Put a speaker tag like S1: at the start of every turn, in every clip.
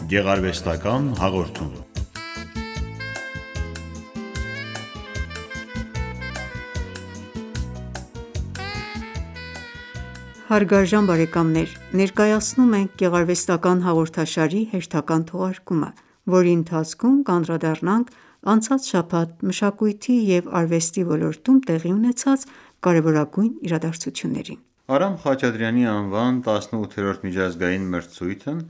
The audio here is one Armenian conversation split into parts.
S1: Գեղարվեստական հաղորդում։
S2: Հարգարժան բարեկամներ, ներկայացնում ենք գեղարվեստական հաղորդաշարի հերթական թողարկումը, որի ընթացքում կանդրադառնանք անցած շաբաթ մշակույթի և արվեստի ոլորտում տեղի ունեցած կարևորագույն իրադարձություններին։
S1: Արամ Խաչատրյանի անվան 18-րդ միջազգային մրցույթն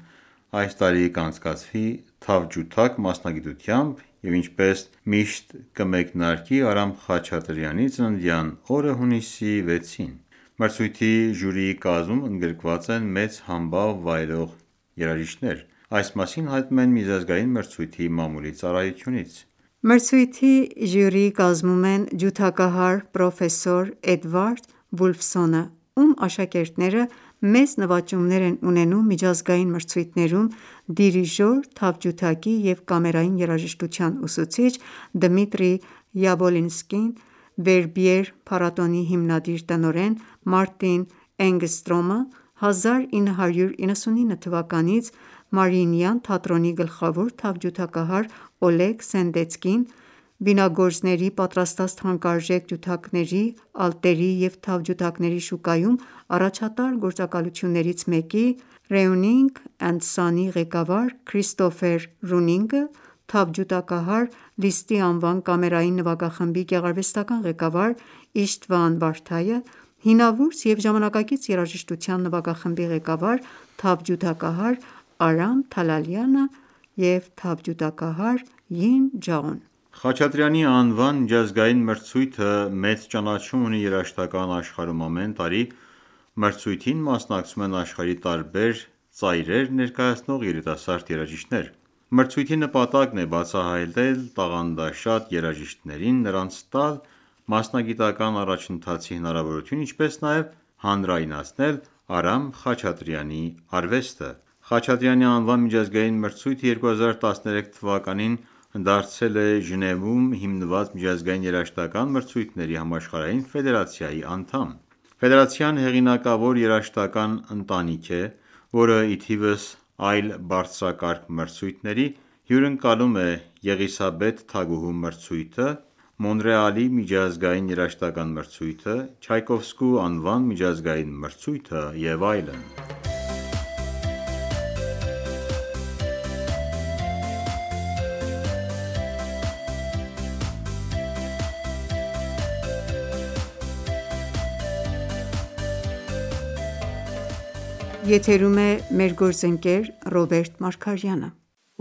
S1: այս տարի կանցկացվի թավջութակ մասնագիտությամբ և ինչպես միշտ կմեկնարկի Արամ Խաչատրյանի ծննդյան օրը հունիսի 6-ին։ Մրցույթի ժյուրիի կազմում ընդգրկված են մեծ համբավ վայելող երաժիշտներ։ Այս մասին հայտնում են միջազգային մրցույթի մամուլի ծառայությունից։
S2: Մրցույթի ժյուրիի կազմում են ջութակահար պրոֆեսոր Էդվարդ Վուլֆսոնը, ում աշակերտները մեծ նվաճումներ են ունենում միջազգային մրցույթներում, դիրիժոր, թավջութակի և կամերային երաժշտության ուսուցիչ Դմիտրի Յաբոլինսկին, Վերբիեր փառատոնի հիմնադիր տնօրեն Մարտին Էնգստրոմը, 1999 թվականից Մարիինյան թատրոնի գլխավոր թավջութակահար Օլեգ Սենդեցկին, վինագործների պատրաստած թանկարժեք ջութակների, ալտերի և թավջութակների շուկայում առաջատար գործակալություններից մեկի Ռեյնինգ էնդ Սոնի ղեկավար Քրիստոֆեր Ռունինգը, թավջութակահար Լիստի անվան կամերային նվագախմբի գեղարվեստական ղեկավար Իշթվան Վարդաը, հինավուրց և ժամանակակից երաժշտության նվագախմբի ղեկավար թավջութակահար Արամ Թալալյանը և թավջութակահար Յին Ջաոն։
S1: Խաչատրյանի անվան միջազգային մրցույթը մեծ ճանաչում ունի երաժշտական աշխարհում։ Ամեն տարի մրցույթին մասնակցում են աշխարհի տարբեր ծայրեր ներկայացնող երիտասարդ երաժիշտներ։ Մրցույթի նպատակն է բացահայտել տաղանդաշատ երաժիշտներին, նրանց տալ մասնագիտական առաջընթացի հնարավորություն, ինչպես նաև հանրայնացնել Արամ Խաչատրյանի արվեստը։ Խաչատրյանի անվան միջազգային մրցույթը 2013 թվականին դարձել է Ժնևում հիմնված Միջազգային երաժշտական մրցույթների համաշխարհային ֆեդերացիայի անդամ։ Ֆեդերացիան հեղինակավոր երաժշտական ընտանիք է, որը ի թիվս այլ բարձրակարգ մրցույթների հյուրընկալում է Եղիսաբեթ թագուհու մրցույթը, Մոնրեալի միջազգային երաժշտական մրցույթը, Չայկովսկու անվան միջազգային մրցույթը և այլն։
S2: Եթերում է մեր գործընկեր Ռոբերտ Մարգարյանը։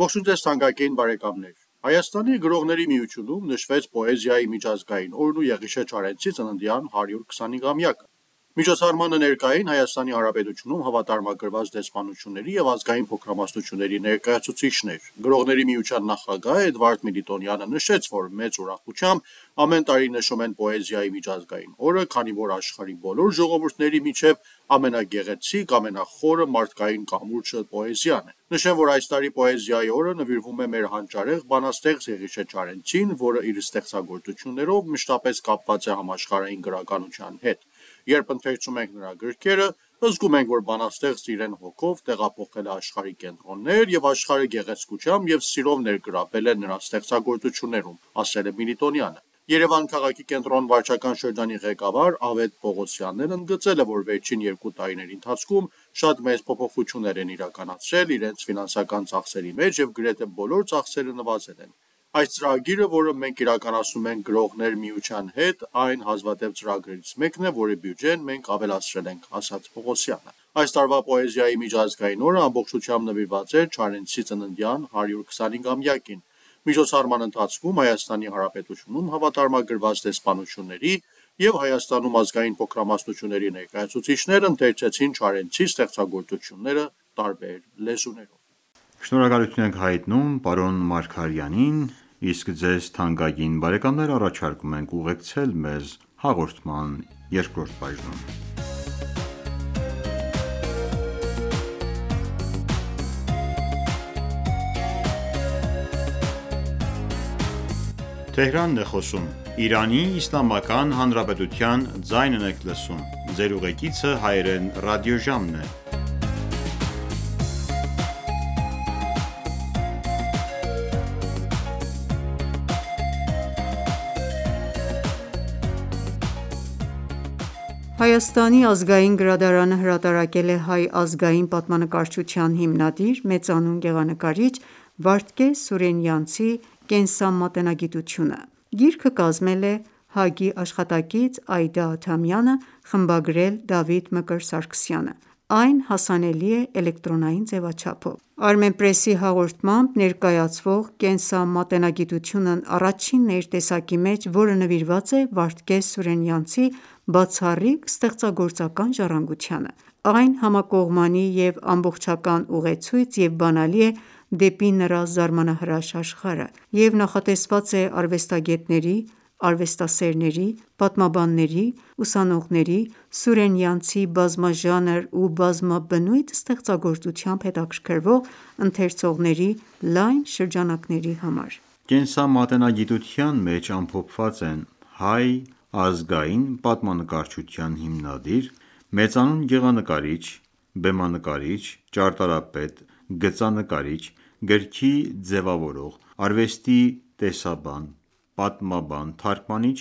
S3: Ողջույն ձեզ թանկագին բարեկամներ։ Հայաստանի գրողների միությունում նշվեց պոեզիայի միջազգային օրն ու Եղիշե Չարենցի ծննդյան 125-ամյակը։ Միջոցառմանը ներկա էին Հայաստանի Հանրապետությունում հավատարմագրված դեսպանությունների և ազգային փոքրամասնությունների ներկայացուցիչներ։ Գրողների միության նախագահ Էդվարդ Միլիտոնյանը նշեց, որ մեծ ուրախությամբ ամեն տարի նշում են պոեզիայի միջազգային օրը, քանի որ աշխարհի բոլոր ժողովուրդների միջև ամենագեղեցիկ, ամենախորը մարդկային կամուրջը պոեզիան է։ Նշեմ, որ այս տարի պոեզիայի օրը նվիրվում է մեր հանճարեղ բանաստեղծ Եղիշե Չարենցին, որը իր ստեղծագործություններով մշտապես կապված է համաշխարհային գրականության հետ։ Երբ ընթերցում ենք նրա գրքերը, զգում ենք, որ բանաստեղծը իրեն հոգով տեղափոխել է աշխարհի կենտրոններ և աշխարհը գեղեցկությամբ և սիրով ներգրավել է նրա ստեղծագործություններում, ասել է Միլիտոնյանը։ Երևան քաղաքի կենտրոն վարչական շրջանի ղեկավար Ավետ Պողոսյանն ընդգծել է, որ վերջին 2 տարիների ընթացքում շատ մեծ փոփոխություններ են իրականացրել իրենց ֆինանսական ծախսերի մեջ և գրեթե բոլոր ծախսերը նվազել են։ Այս ծրագիրը, որը մենք իրականացնում ենք գրողներ միության հետ, այն հազվադեպ ծրագրերից մեկն է, որի բյուջեն մենք ավելացրել ենք, ասաց Պողոսյանը։ Այս տարվա պոեզիայի միջազգային օրը ամբողջությամբ նվիրված էր Չարենցի ծննդյան 125-ամյակին։ Միջոցառման ընթացքում Հայաստանի Հանրապետությունում հավատարմագրված դեսպանությունների և Հայաստանում ազգային փոքրամասնությունների ներկայացուցիչներ ընթերցեցին Չարենցի ստեղծագործությունները տարբեր լեզուներով։
S1: Շնորհակալություն ենք հայտնում պարոն Մարգարյանին, իսկ ձեզ թանկագին բարեկամներ առաջարկում ենք ուղեկցել մեզ հաղորդման երկրորդ բաժնում։
S2: Հայաստանի ազգային գրադարանը հրատարակել է հայ ազգային պատմանկարչության հիմնադիր, մեծանուն գեղանկարիչ Վարդգես Սուրենյանցի կենսամատենագիտությունը։ Գիրքը կազմել է Հագի աշխատակից Այդա Աթամյանը, խմբագրել Դավիթ Մկրտչ Սարգսյանը։ Այն հասանելի է էլեկտրոնային ձևաչափով։ Armenpress-ի հաղորդմամբ, ներկայացվող կենսամատենագիտությունն առաջինն է իր տեսակի մեջ, որը նվիրված է Վարդգես Սուրենյանցի բացառիկ ստեղծագործական ժառանգությանը։ Այն համակողմանի և ամբողջական ուղեցույց և բանալի է դեպի նրա զարմանահրաշ աշխարհը և նախատեսված է արվեստագետների, արվեստասերների, պատմաբանների, ուսանողների, Սուրենյանցի բազմաժանր ու բազմաբնույթ ստեղծագործությամբ հետաքրքրվող ընթերցողների լայն շրջանակների համար։
S1: Կենսամատենագիտության մեջ ամփոփված են հայ ազգային պատմանկարչության հիմնադիր, մեծանուն գեղանկարիչ, բեմանկարիչ, ճարտարապետ, գծանկարիչ, գրքի ձևավորող, արվեստի տեսաբան, պատմաբան, թարգմանիչ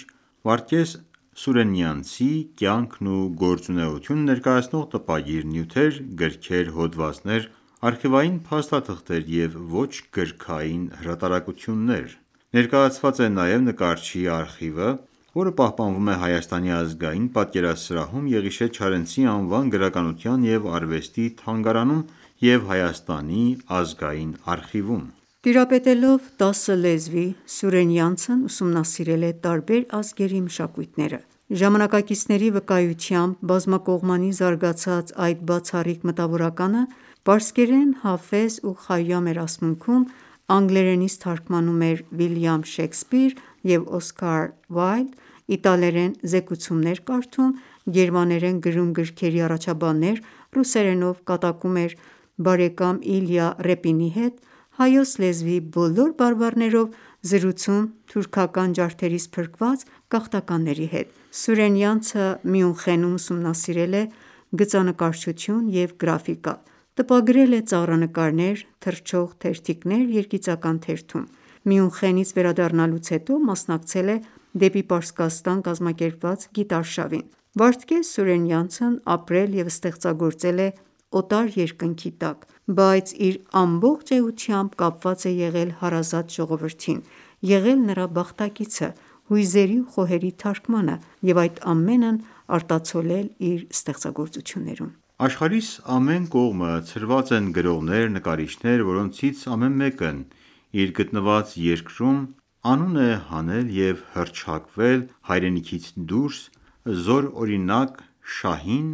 S1: Վարդգես Սուրենյանցի կյանքն ու գործունեությունը ներկայացնող տպագիր, նյութեր, գրքեր, հոդվածներ, արխիվային փաստաթղթեր և ոչ գրքային հրատարակություններ։ Ներկայացված է նաև նկարչի արխիվը, որը պահպանվում է Հայաստանի ազգային պատկերասրահում Եղիշե Չարենցի անվան գրականության և արվեստի թանգարանում և Հայաստանի ազգային արխիվում։
S2: Տիրապետելով 10 լեզվի, Սուրենյանցն ուսումնասիրել է տարբեր ազգերի մշակույթները։ Ժամանակակիցների վկայությամբ, բազմակողմանի զարգացած այդ բացառիկ մտավորականը պարսկերեն Հաֆեզ ու Խայամ երասմունքում, անգլերենից թարգմանում էր Վիլյամ Շեքսպիր և Օսկար Վայլդ, իտալերեն զեկուցումներ կարդում, գերմաներեն գրում գրքերի առաջաբաններ, ռուսերենով կատակում էր բարեկամ Իլյա Ռեպինի հետ, հայոց լեզվի բոլոր բարբառներով զրուցում թուրքական ջարդերից փրկված գաղթականների հետ։ Սուրենյանցը Մյունխենում ուսումնասիրել է գծանկարչություն և գրաֆիկա, տպագրել է ծաղրանկարներ, թռչող թերթիկներ երգիծական թերթում։ Մյունխենից վերադառնալուց հետո մասնակցել է դեպի Պարսկաստան կազմակերպված գիտարշավին։ Վարդգես Սուրենյանցն ապրել և ստեղծագործել է օտար երկնքի տակ, բայց իր ամբողջ էությամբ կապված է եղել հարազատ ժողովրդին, եղել նրա բախտակիցը, հույզերի ու խոհերի թարգմանը և այդ ամենն արտացոլել իր ստեղծագործություններում։
S1: Աշխարհիս ամեն կողմը ցրված են գրողներ, նկարիչներ, որոնցից ամեն մեկն իր գտնված երկրում անուն է հանել և հռչակվել հայրենիքից դուրս, զորօրինակ Շահին,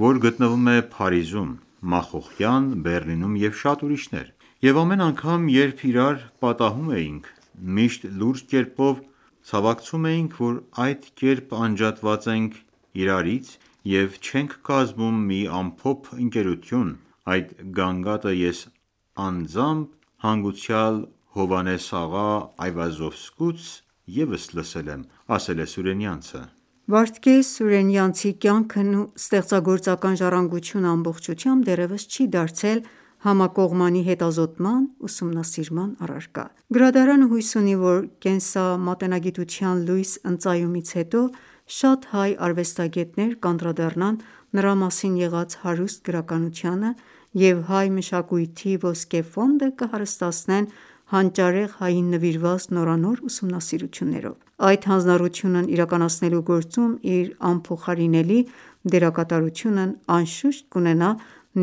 S1: որ գտնվում է Փարիզում, Մախոխյան, Բեռլինում և շատ ուրիշներ։ Եվ ամեն անգամ, երբ իրար պատահում էինք, միշտ լուրջ կերպով ցավակցում էինք, որ այդ կերպ անջատված ենք իրարից և չենք կազմում մի ամփոփ ընկերություն։ Այդ գանգատը ես անձամբ հանգուցյալ Հովհաննես աղա Այվազովսկուց ևս լսել եմ, ասել է Սուրենյանցը։
S2: Վարդգես Սուրենյանցի կյանքն ու ստեղծագործական ժառանգությունը ամբողջությամբ դեռևս չի դարձել համակողմանի հետազոտման, ուսումնասիրման առարկա։ Գրադարանը հույս ունի, որ կենսամատենագիտության լույս ընծայումից հետո շատ հայ արվեստագետներ կանդրադառնան նրա մասին եղած հարուստ գրականությանը և հայ մշակույթի ոսկե ֆոնդը կհարստացնեն հանճարեղ հային նվիրված նորանոր ուսումնասիրություններով։ Այդ հանձնառությունն իրականացնելու գործում իր անփոխարինելի դերակատարությունն անշուշտ կունենա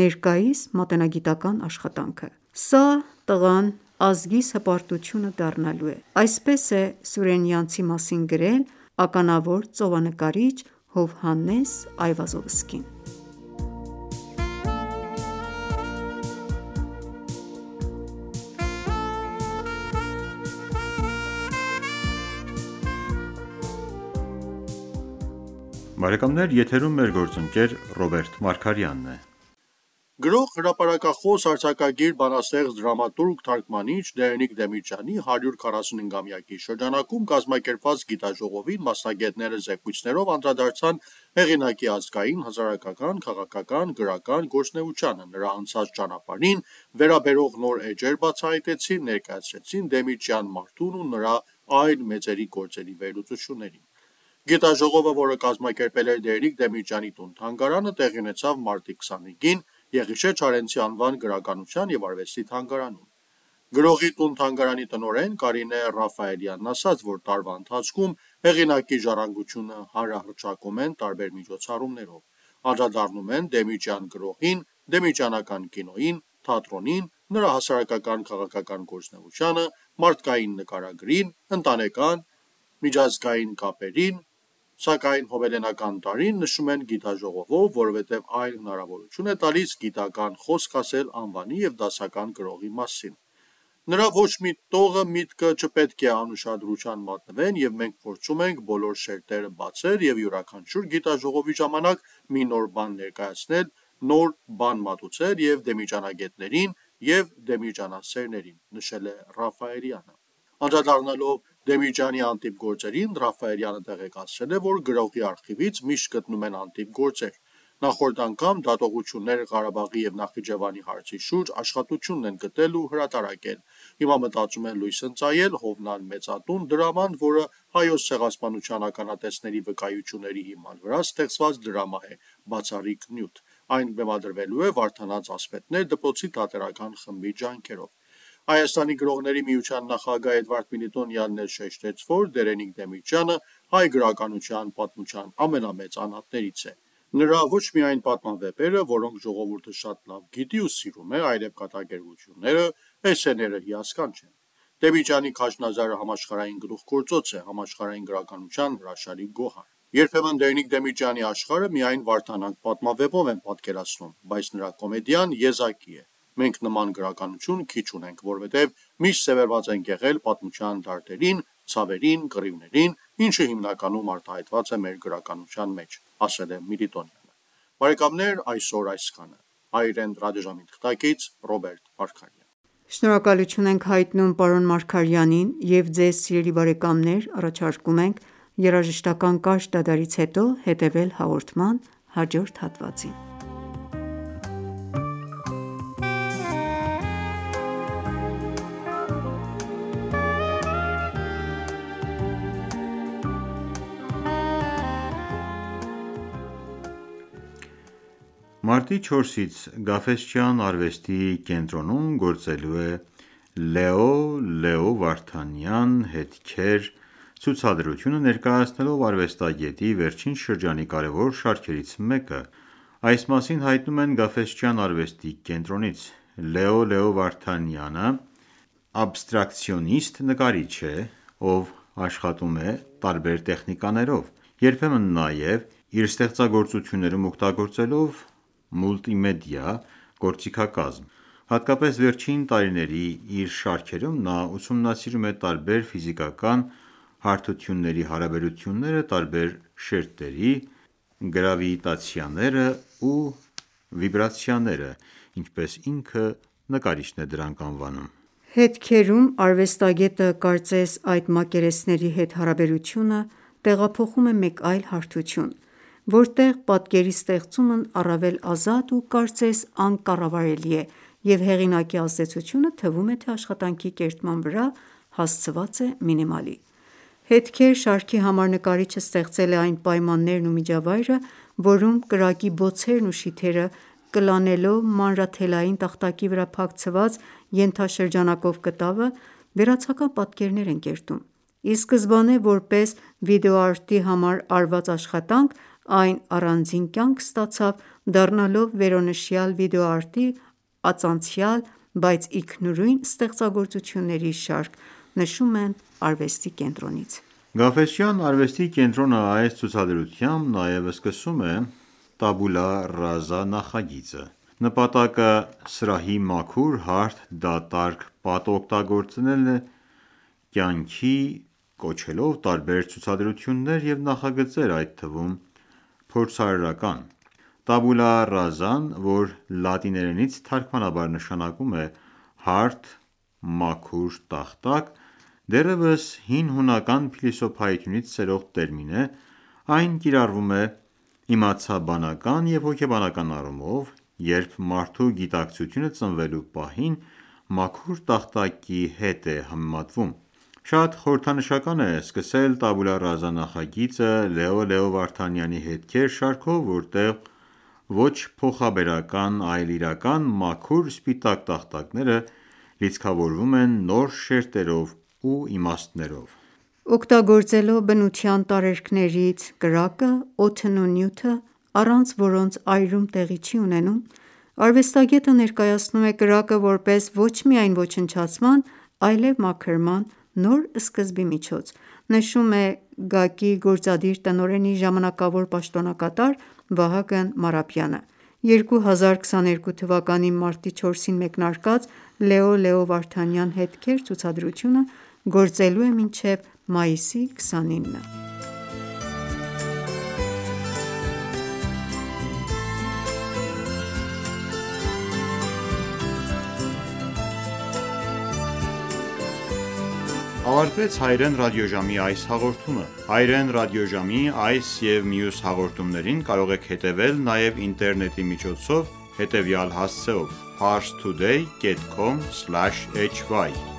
S2: ներկայիս մատենագիտական աշխատանքը։ «Սա տղան ազգիս հպարտությունը դառնալու է», այսպես է Սուրենյանցի մասին գրել ականավոր ծովանկարիչ Հովհաննես Այվազովսկին։
S3: Գրող, հրապարակախոս, արձակագիր, բանաստեղծ, դրամատուրգ, թարգմանիչ Դերենիկ Դեմիրճյանի 145-ամյակի շրջանակում կազմակերպված գիտաժողովին մասնագետները զեկույցներով անդրադարձան հեղինակի ազգային, հասարակական, քաղաքական, գրական գործունեությանը, նրա անցած ճանապարհին վերաբերող նոր էջեր բացահայտեցին, ներկայացրեցին Դեմիրճյան մարդուն ու նրա այլ մեծերի գործերի վերլուծություններին։ Գիտաժողովը, որը կազմակերպել էր Դերիկ Դեմիրճյանի տուն-թանգարանը, տեղի ունեցավ մարտի 25-ին Եղիշե Չարենցի անվան գրականության և արվեստի թանգարանում։ Գրողի տուն-թանգարանի տնօրեն Կարինե Ռաֆայելյանն ասաց, որ տարվա ընթացքում հեղինակի ժառանգությունը հանրահռչակում են տարբեր միջոցառումներով, անդրադառնում են Դեմիրճյան գրողին, դեմիրճյանական կինոյին, թատրոնին, նրա հասարակական քաղաքական գործունեությանը, մարդկային նկարագրին, ընտանեկան, միջազգային կապերին, սակայն հոբելենական տարին նշում են գիտաժողովով, որովհետև այն հնարավորություն է տալիս գիտական խոսք ասել անվանի և դասական գրողի մասին։ Նրա ոչ մի տողը միտքը չպետք է անուշադրության մատնվեն, և մենք փորձում ենք բոլոր շերտերը բացել և յուրաքանչյուր գիտաժողովի ժամանակ մի նոր բան ներկայացնել, նոր բան մատուցել և դեմիրճանագետներին և դեմիրճանասերներին, նշել է Ռաֆայելյանը։ Անդրադառնալով Դեմիրճյանի անտիպ գործերին, Ռաֆայելյանը տեղեկացրել է, որ գրողի արխիվից միշտ գտնում են անտիպ գործեր։ Նախորդ անգամ դատողություններ Ղարաբաղի և Նախիջևանի հարցի շուրջ աշխատությունն են գտել ու հրատարակել։ Հիմա մտածում են լույս ընծայել Հովնան մեծատուն դրաման, որը հայոց ցեղասպանության ականատեսների վկայությունների հիման վրա ստեղծված դրամա է, բացառիկ նյութ։ Այն բեմադրվելու է Վարդանանց ասպետներ դպրոցի թատերական խմբի ջանքերով։ Հայաստանի գրողների միության նախագահ Էդվարդ Մինիտոնյանն էլ շեշտեց, որ Դերենիկ Դեմիրճյանը հայ գրականության պատմության ամենամեծ անհատներից է։ Նրա ոչ միայն պատմավեպերը, որոնք ժողովուրդը շատ լավ գիտի ու սիրում է, այլև կատակերգությունները, էսսեները հիասքանչ են։ Դեմիրճյանի «Քաջնազարը» համաշխարհային գլուխգործոց է, համաշխարհային գրականության հրաշալի գոհար։ Երբեմն Դերենիկ Դեմիրճյանի աշխարհը միայն Վարդանանք պատմավեպով են պատկերացնում, բայց նրա կոմեդիան եզակի է։ Մենք նման գրականություն քիչ ունենք, որովհետև միշտ սևեռված ենք եղել պատմության դարդերին, ցավերին, կռիվներին, ինչը հիմնականում արտահայտված է մեր գրականության մեջ, ասել է Միրիտոնյանը։ Բարեկամներ, այսօր այսքանը։ Հայրեն ռադիոժամի թղթակից Ռոբերտ Մարգարյան։
S2: Շնորհակալություն ենք հայտնում պարոն Մարգարյանին և ձեզ սիրելի բարեկամներ առաջարկում ենք երաժշտական կարճ դադարից հետո հետևել հաղորդման հաջորդ հատվածին։
S1: Մարտի 4-ից Գաֆէսճեան արվեստի կենտրոնում գործելու է Լեո Վարդանյան հետքեր ցուցադրությունը, ներկայացնելով արվեստագետի վերջին շրջանի կարևոր շարքերից մեկը։ Այս մասին հայտնում են Գաֆէսճեան արվեստի կենտրոնից։ Լեո Վարդանյանը աբստրակցիոնիստ նկարիչ է, ով աշխատում է տարբեր տեխնիկաներով, երբեմն նաև իր ստեղծագործություններում օգտագործելով մուլտիմեդիա գործիքակազմ։ Հատկապես վերջին տարիների իր շարքերում նա ուսումնասիրում է տարբեր ֆիզիկական հարթությունների հարաբերությունները, տարբեր շերտերի գրավիտացիաները ու վիբրացիաները, ինչպես ինքը նկարիչն է դրանք անվանում։
S2: Հետքերում արվեստագետը կարծես այդ մակերեսների հետ հարաբերությունը տեղափոխում է մեկ այլ հարթություն, որտեղ պատկերի ստեղծումն առավել ազատ ու կարծես անկառավարելի է, և հեղինակի ազդեցությունը թվում է, թե աշխատանքի կերտման վրա հասցված է մինիմալի։ Հետքեր շարքի համար նկարիչը ստեղծել է այն պայմաններն ու միջավայրը, որում կրակի բոցերն ու շիթերը կլանելով մանրաթելային տախտակի վրա փակցված ենթաշրջանակով կտավը, վերացական պատկերներ են կերտում։ Ի սկզբանե որպես վիդեոարտի համար արված աշխատանք, այն առանձին կյանք ստացավ, դառնալով վերոնշյալ վիդեոարտի ածանցյալ, բայց ինքնուրույն ստեղծագործությունների շարք, նշում են արվեստի կենտրոնից։
S1: Գաֆէսճեան արվեստի կենտրոնը այս ցուցադրությամբ նաև սկսում է «Տաբուլա ռազա» նախագիծը։ Նպատակը սրահի մաքուր, հարթ, դատարկ պատը օգտագործելն է, կյանքի կոչելով տարբեր ցուցադրություններ և նախագծեր, այդ թվում փորձարարական։ Տաբուլա ռազան, որ լատիներենից թարգմանաբար նշանակում է հարթ, մաքուր տախտակ, դեռևս հին հունական փիլիսոփայությունից սերող տերմին է։ Այն կիրառվում է իմացաբանական և հոգեբանական առումով, երբ մարդու գիտակցությունը ծնվելու պահին մաքուր տախտակի հետ է համեմատվում։ Շատ խորհրդանշական է սկսել Տաբուլա Ռազա նախագիծը Լեո Վարդանյանի հետքեր շարքով, որտեղ ոչ փոխաբերական, այլ իրական մաքուր սպիտակ տախտակները լիցքավորվում են նոր շերտերով ու իմաստներով:
S2: Օգտագործելով բնության տարերքներից կրակը, օդն ու նյութը, առանց որոնց այրում տեղի չի ունենում, արվեստագետը ներկայացնում է կրակը որպես ոչ միայն ոչնչացման, այլև մաքրման նոր սկզբի միջոց, նշում է ԳԱԿ-ի գործադիր տնօրենի ժամանակավոր պաշտոնակատար Վահագն Մարափյանը: 2022 թվականի մարտի 4-ին մեկնարկած Լեո Վարդանյան հետքեր ցուցադրությունը գործելու է մինչև մայիսի 29-ը:
S1: Ավարտվեց հայրեն ռադիոժամի այս հաղորդումը: Հայրեն ռադիոժամի այս և մյուս հաղորդումներին կարող եք հետևել նաև ինտերնետի միջոցով հետևյալ հասցեով՝ parstoday.com/hy